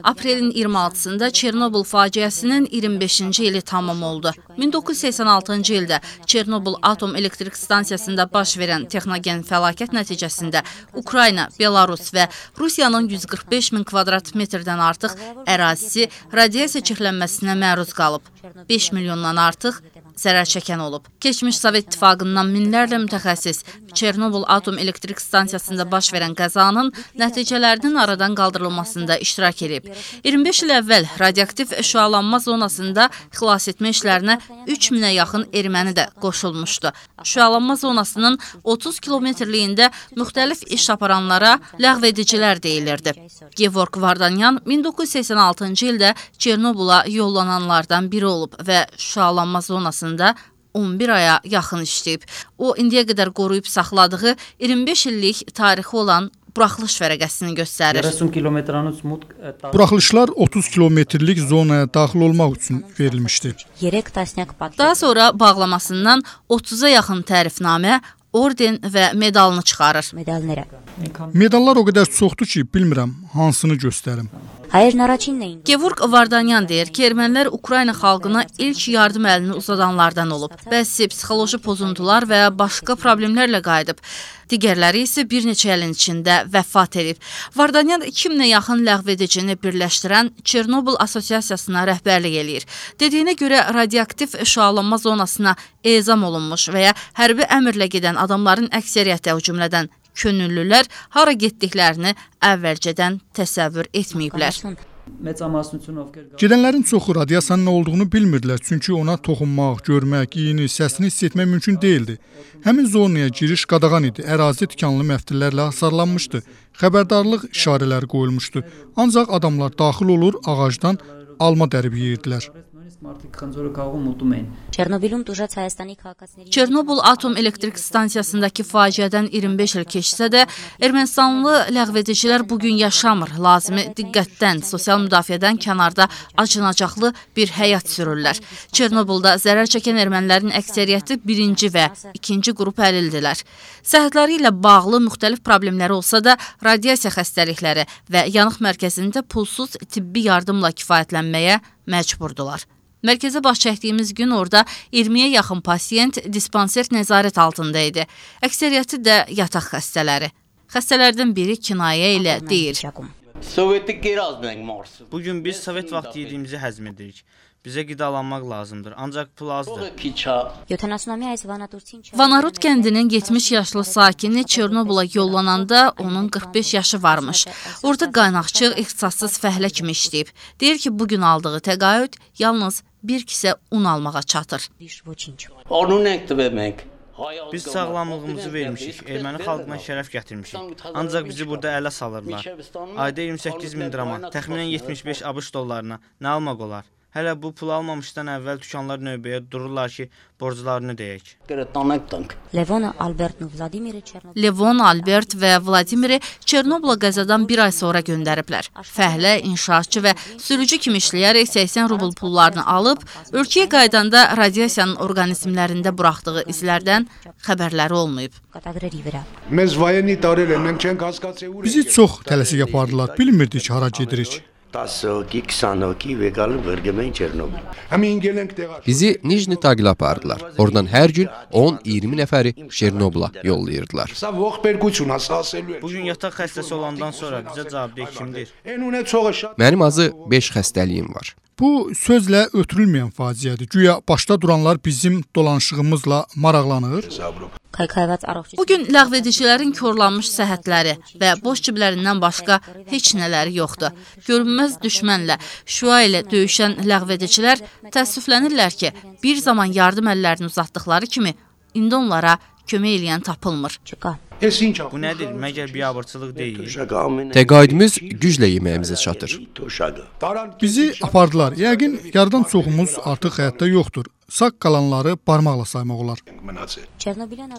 Aprelin 26-sında Çernobıl faciəsinin 25-ci ili tamam oldu. 1986-cı ildə Çernobıl atom elektrik stansiyasında baş verən texnogen fəlakət nəticəsində Ukrayna, Belarus və Rusiyanın 145 min kvadrat metrdən artıq ərazisi radiasiya çirklənməsinə məruz qalıb. 5 milyondan artıq zərər çəkən olub. Keçmiş Sovet İttifaqından minlərlə mütəxəssis Çernobıl atom elektrik stansiyasında baş verən qəzanın nəticələrinin aradan qaldırılmasında iştirak edib. 25 il əvvəl radioaktiv şüalanma zonasında xilas etmə işlərinə 3000-ə yaxın erməni də qoşulmuşdu. Şüalanma zonasının 30 kilometrliyində müxtəlif iş aparanlara ləğvedicilər deyilirdi. Gevorg Vardanyan 1986-cı ildə Çernobıla yollananlardan biri olub və şüalanma zonasında 11 aya yaxın işləyib. O, indiyə qədər qoruyub saxladığı 25 illik tarixi olan buraxılış vərəqəsini göstərir. Buraxılışlar 30 kilometrlik zonaya daxil olmaq üçün verilmişdi. Daha sonra bağlamasından 30-a yaxın tərifnamə, orden və medalını çıxarır. Medallar o qədər çoxdur ki, bilmirəm hansını göstərim. Gevorg Vardanyan deyir ki, ermənilər Ukrayna xalqına ilk yardım əlini uzadanlardan olub. Bəzi psixoloji pozuntular və başqa problemlərlə qayıdıb. Digərləri isə bir neçə ilin içində vəfat edib. Vardanyan 2000-ə yaxın ləğvedicini birləşdirən Çernobıl Asosiasiyasına rəhbərlik eləyir. Dediyinə görə radioaktiv şüalanma zonasına ezam olunmuş və ya hərbi əmrlə gedən adamların əksəriyyəti, o cümlədən könüllülər, hara getdiklərini əvvəlcədən təsəvvür etməyiblər. Gedənlərin çoxu radiasiyanın nə olduğunu bilmirdilər, çünki ona toxunmaq, görmək, iyini, səsini hiss etmək mümkün değildi. Həmin zonaya giriş qadağan idi, ərazi tikanlı məftillərlə hasarlanmışdı, xəbərdarlıq işarələri qoyulmuşdu. Ancaq adamlar daxil olur, ağacdan alma dərib yeyirdilər. Çernobıl atom elektrik stansiyasındakı faciədən 25 il keçsə də, Ermənistanlı ləğvedicilər bugün yaşamır. Lazımi diqqətdən, sosial müdafiədən kənarda acınacaqlı bir həyat sürürlər. Çernobılda zərər çəkən ermənilərin əksəriyyəti birinci və ikinci qrup əlildilər. Səhhətləri ilə bağlı müxtəlif problemləri olsa da, radiasiya xəstəlikləri və yanıq mərkəzində pulsuz tibbi yardımla kifayətlənməyə məcburdular. Mərkəzə baş çəkdiyimiz gün orada 20-yə yaxın pasiyent dispanser nəzarət altında idi. Əksəriyyəti də yataq xəstələri. Xəstələrdən biri kinayə ilə deyir. Bugün biz Sovet vaxtı yediyimizi həzm edirik. Bizə qidalanmaq lazımdır, ancaq pul azdır. Vanarud kəndinin 70 yaşlı sakini Çernobıla yollananda onun 45 yaşı varmış. Orada qaynaqçı ixtisassız fəhlə kimi işləyib. Deyir ki, bugün aldığı təqaüd yalnız bir kisə un almağa çatır. Biz sağlamlığımızı vermişik, erməni xalqına şərəf gətirmişik. Ancaq bizi burada ələ salırlar. Ayda 28 min drama, təxminən 75 ABŞ dollarına nə almaq olar? Hələ bu pul almamışdan əvvəl dükanlar növbəyə dururlar ki, borclarını deyək. Levon, Albert və Vladimiri Çernobıla qəzadan bir ay sonra göndəriblər. Fəhlə, inşaatçı və sürücü kimi işləyərək 80 rubl pullarını alıb, ölkəyə qaydanda radiasiyanın orqanizmlərində buraxdığı izlərdən xəbərləri olmayıb. Bizi çox tələsik apardılar, bilmirdik hara gedirik. Bizi Nijni Tagilə apardılar. Oradan hər gün 10-20 nəfəri Çernobıla yollayırdılar. Bugün yataq xəstəsi olandan sonra bizə cavabdeh kimdir? Mənim azı 5 xəstəliyim var. Bu sözlə ötürülməyən faciədir. Güya başda duranlar bizim dolanışığımızla maraqlanır. Bugün ləğvedicilərin korlanmış səhhətləri və boş ciblərindən başqa heç nələri yoxdur. Görünməz düşmənlə, şüa ilə döyüşən ləğvedicilər təəssüflənirlər ki, bir zaman yardım əllərini uzatdıqları kimi indi onlara kömək eləyən tapılmır. Bu nədir? Məgər biabırçılıq deyil? Təqaüdümüz güclə yeməyimizə çatır. Bizi apardılar. Yəqin yarıdan çoxumuz artıq həyatda yoxdur. Sağ qalanları barmaqla saymaq olar.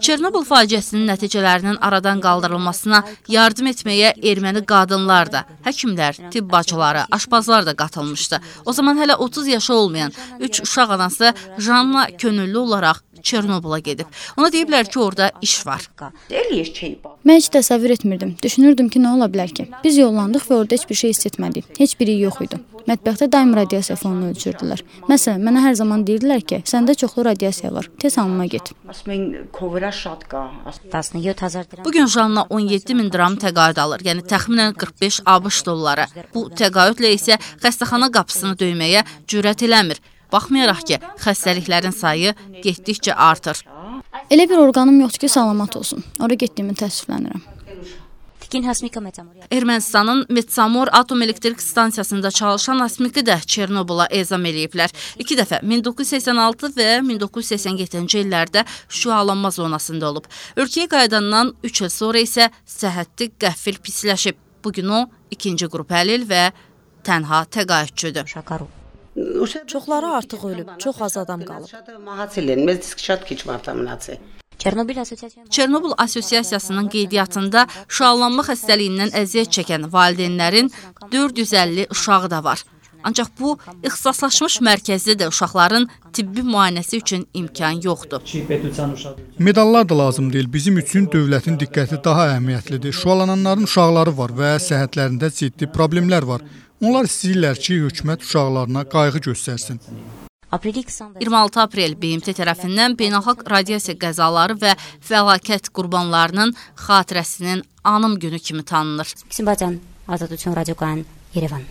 Çernobıl faciəsinin nəticələrinin aradan qaldırılmasına yardım etməyə erməni qadınlar da, həkimlər, tibb bacıları, aşpazlar da qatılmışdı. O zaman hələ 30 yaşı olmayan 3 uşaq anası Janna könüllü olaraq Çernobıla gedib. Ona deyiblər ki, orada iş var. Mən heç təsəvvür etmirdim. Düşünürdüm ki, nə ola bilər ki? Biz yollandıq və orada heç bir şey hiss etmədik. Heç biri yox idi. Mətbəxdə daim radiasiya fonunu ölçürdülər. Məsələn, mənə hər zaman deyirdilər ki, səndə çoxlu radiasiya var. Tez hamama get. Bugün Janna 17.000 dram təqaüd alır, yəni təxminən 45 ABŞ dolları. Bu təqaüdlə isə xəstəxana qapısını döyməyə cürət eləmir. Baxmayaraq ki, xəstəliklərin sayı getdikcə artır. Elə bir orqanım yoxdur ki, salamat olsun. Ora getdiyimi təəssüflənirəm. Ermənistanın Metsamor Atom Elektrik Stansiyasında çalışan Asmiki də Çernobıla ezam eləyiblər. 2 dəfə 1986 və 1987-ci illərdə şüalanma zonasında olub. Ölkəyə qayıdandan 3 il sonra isə səhhəti qəfil pisləşib. Bugün o, ikinci qrup əlil və tənha təqaüdçüdür. Çoxları artıq ölüb, çox az adam qalıb. Çernobıl Asosiasiyasının qeydiyyatında şüalanma xəstəliyindən əziyyət çəkən valideynlərin 450 uşağı da var. Ancaq bu, ixtisaslaşmış mərkəzdə də uşaqların tibbi müayinəsi üçün imkan yoxdur. Medallar da lazım deyil. Bizim üçün dövlətin diqqəti daha əhəmiyyətlidir. Şüalananların uşaqları var və səhhətlərində ciddi problemlər var. Onlar istəyirlər ki, hökumət uşaqlarına qayğı göstərsin. 26 aprel BMT tərəfindən beynəlxalq radiasiya qəzaları və fəlakət qurbanlarının xatirəsinin anım günü kimi tanınır. Azadutun radiokan Yerevan.